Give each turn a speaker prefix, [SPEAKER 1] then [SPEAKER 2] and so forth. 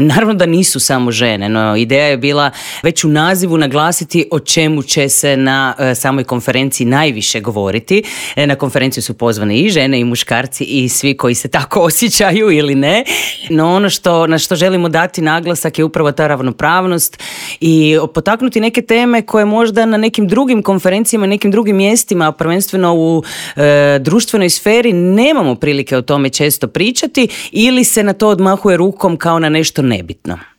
[SPEAKER 1] Naravno da nisu samo žene, no ideja je bila već u nazivu naglasiti o čemu će se na samoj konferenciji najviše govoriti. Na konferenciju su pozvane i žene i muškarci i svi koji se tako osjećaju ili ne. No ono na što želimo dati naglasak je upravo ta ravnopravnost i potaknuti neke teme koje možda na nekim drugim konferencijama, nekim drugim mjestima, prvenstveno u društvenoj sferi, nemamo prilike o tome često pričati ili se na to odmahuje rukom kao na nešto nebitno.